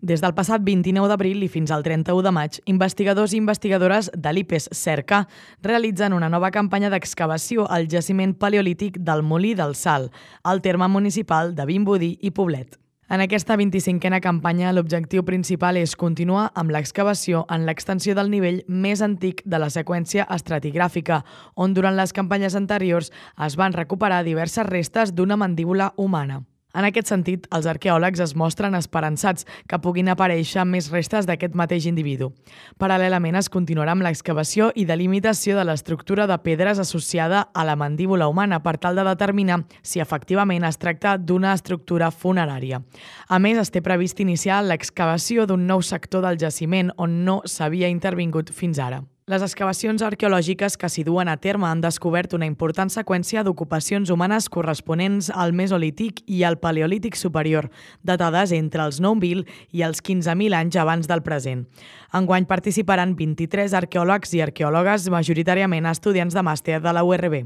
Des del passat 29 d'abril i fins al 31 de maig, investigadors i investigadores de l'IPES Cerca realitzen una nova campanya d'excavació al jaciment paleolític del Molí del Sal, al terme municipal de Vimbodí i Poblet. En aquesta 25a campanya, l'objectiu principal és continuar amb l'excavació en l'extensió del nivell més antic de la seqüència estratigràfica, on durant les campanyes anteriors es van recuperar diverses restes d'una mandíbula humana. En aquest sentit, els arqueòlegs es mostren esperançats que puguin aparèixer més restes d'aquest mateix individu. Paral·lelament, es continuarà amb l'excavació i delimitació de l'estructura de pedres associada a la mandíbula humana per tal de determinar si efectivament es tracta d'una estructura funerària. A més, es té previst iniciar l'excavació d'un nou sector del jaciment on no s'havia intervingut fins ara. Les excavacions arqueològiques que s'hi duen a terme han descobert una important seqüència d'ocupacions humanes corresponents al Mesolític i al Paleolític superior, datades entre els 9.000 i els 15.000 anys abans del present. Enguany participaran 23 arqueòlegs i arqueòlogues, majoritàriament estudiants de màster de la URB.